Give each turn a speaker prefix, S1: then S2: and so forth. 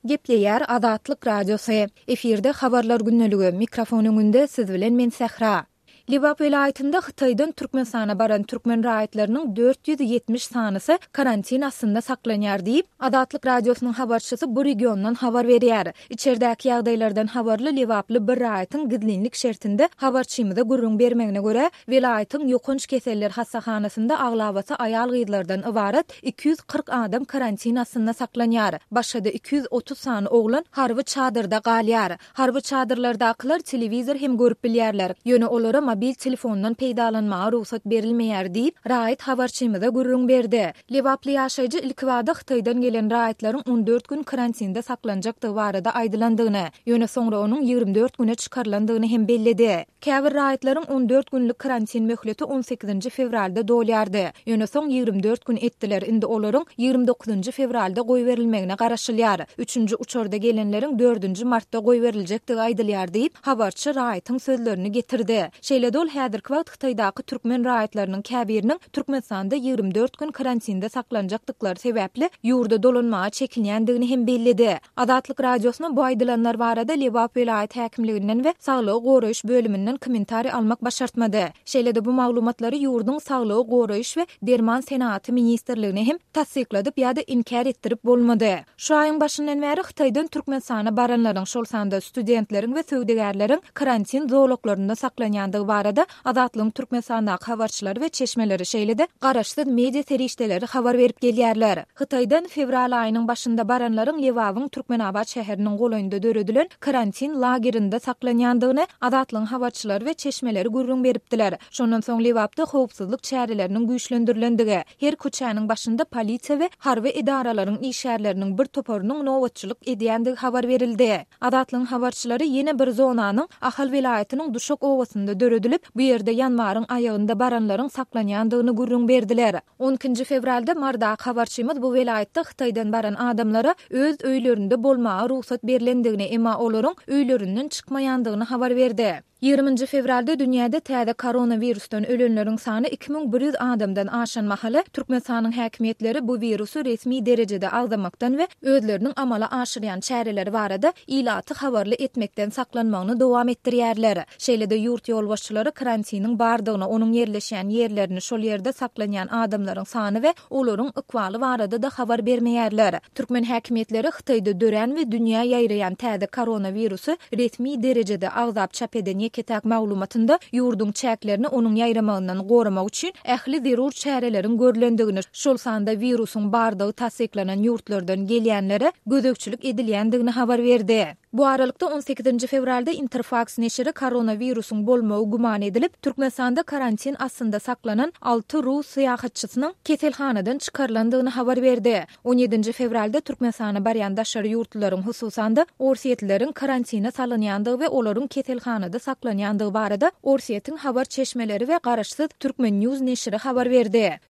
S1: Gepleýär Azatlyk Radiosy. Efirde Habarlar gündeligi, mikrofon öňünde siz bilen men Sähra. Lebap welaýatynda Hytaýdan Türkmenistana baran türkmen raýatlarynyň 470 sanysy karantin astynda saklanýar diýip, Azatlyk Radiosynyň habarçysy bu regiondan habar berýär. Içerdäki ýagdaýlardan habarly lebaply bir raýatyň gizlinlik şertinde habarçymyza gürrüň bermegine görä, welaýatyň ýokanç keseller hassahanasynda aglabasy aýal-gyzlardan ybarat 240 adam karantin astynda saklanýar. Başga-da 230 sany oglan harby çadyrda galýar. Harby çadyrlardakylar telewizor hem görüp bilýärler, ýöne olara mobil telefondan peýdalanmaga rugsat berilmeýär diýip, raýat habarçymyza gürrüň berdi. Lebaply ýaşaýjy ilkibada Hytaýdan gelen raýatlaryň 14 gün karantinde saklanjakdygy barada aýdylandygyny, ýöne soňra onuň 24 güne çykarylandygyny hem belledi. Käbir raýatlaryň 14 günlük karantin möhleti on sekizinji fewralda dolýardy. Ýöne soň 24 gün etdiler, indi olaryň ýigrimi dokuzynjy fewralda goýberilmegine garaşylýar. Üçünji uçarda gelenleriň dördünji martda goýberiljekdigi aýdylýar diýip, habarçy raýatyň sözlerini getirdi. Şeýle-de ol häzirki wagt Hytaýdaky türkmen raýatlarynyň käbiriniň Türkmenistanda 24 gün karantinde saklanjakdyklary sebäpli ýurda dolanmaga çekinýändigini hem belledi. Azatlyk Radiosyna bu aýdylanlar barada Lebap welaýat häkimliginden we saglygy goraýyş bölüminden kommentariý almak başartmady. Şeýle-de bu maglumatlary ýurduň Saglygy goraýyş we derman senagaty ministrligine hem tassykladyp ýa-da inkär etdirip bolmady. Şu aýyň başyndan bäri Hytaýdan Türkmenistana baranlaryň, şol sanda studentleriň we söwdagärleriň karantin zolaklarynda saklanýandygy barada Azatlygyň Türkmenistandaky habarçylary we çeşmeleri, şeýle-de garaşsyz media serişdeleri habar berip gelýärler. Hytaýdan fewral aýynyň başynda baranlaryň Lebabyň Türkmenabat şäheriniň golaýynda döredilen karantin lagerinde saklanýandygyny Azatlygyň habarçylary we çeşmeleri gürrüň beripdiler. Şondan soň Lebapda howpsuzlyk çäreleriniň güýçlendirilendigi, her köçäniň başynda polisiýa we harby edaralaryň işgärleriniň bir toparynyň nobatçylyk edýändigi habar berildi. Azatlygyň habarçylary ýene bir zonanyň Ahal welaýatynyň Duşak obasynda döredilip, bu ýerde ýanwaryň aýagynda baranlaryň saklanýandygyny gürrüň berdiler. On ikinji fewralda Marydaky habarçymyz bu welaýatda Hytaýdan baran adamlara öz öýlerinde bolmaga rugsat berlendigini, emma olaryň öýlerinden çykmaýandygyny habar berdi. Ýigriminji fewralda dünýäde täze koronawirusdan ölenleriň sany 2100 adamdan aşan mahaly, Türkmenistanyň häkimiýetleri bu wirusy resmi derejede agzamakdan we özleriniň amala aşyrýan çäreleri barada ilaty habarly etmekden saklanmagyny dowam etdirýärler. Şeýle-de ýurt ýolbaşçylary karantiniň bardygyny, onuň ýerleşýän ýerlerini, şol ýerde saklanýan adamlaryň sany we olaryň ykbaly barada-da habar bermeýärler. Türkmen häkimiýetleri Hytaýda dörän we dünýä ýaýraýan täze koronawirusy resmi derejede agzap çap eden ýeke-täk maglumatynda ýurduň çäklerini onuň ýaýramagyndan goramak üçin ähli zerur çäreleriň görlendigini, şol sanda wirusyň bardygy tassyklanan ýurtlardan gelýänlere gözegçilik edilýändigini habar berdi. Bu aralykda, on sekizinji fewralda Interfaks neşiri koronawirusyň bolmagy güman edilip, Türkmenistanda karantin astynda saklanan alty rus syýahatçysynyň keselhanadan çykarylandygyny habar berdi. On ýedinji fewralda Türkmenistana barýan daşary ýurtlularyň, hususan-da, orsýetlileriň karantine salynýandygy we olaryň keselhanada saklanýandygy barada Orsýetiň habar çeşmeleri we garaşsyz Turkmen. News neşiri habar berdi.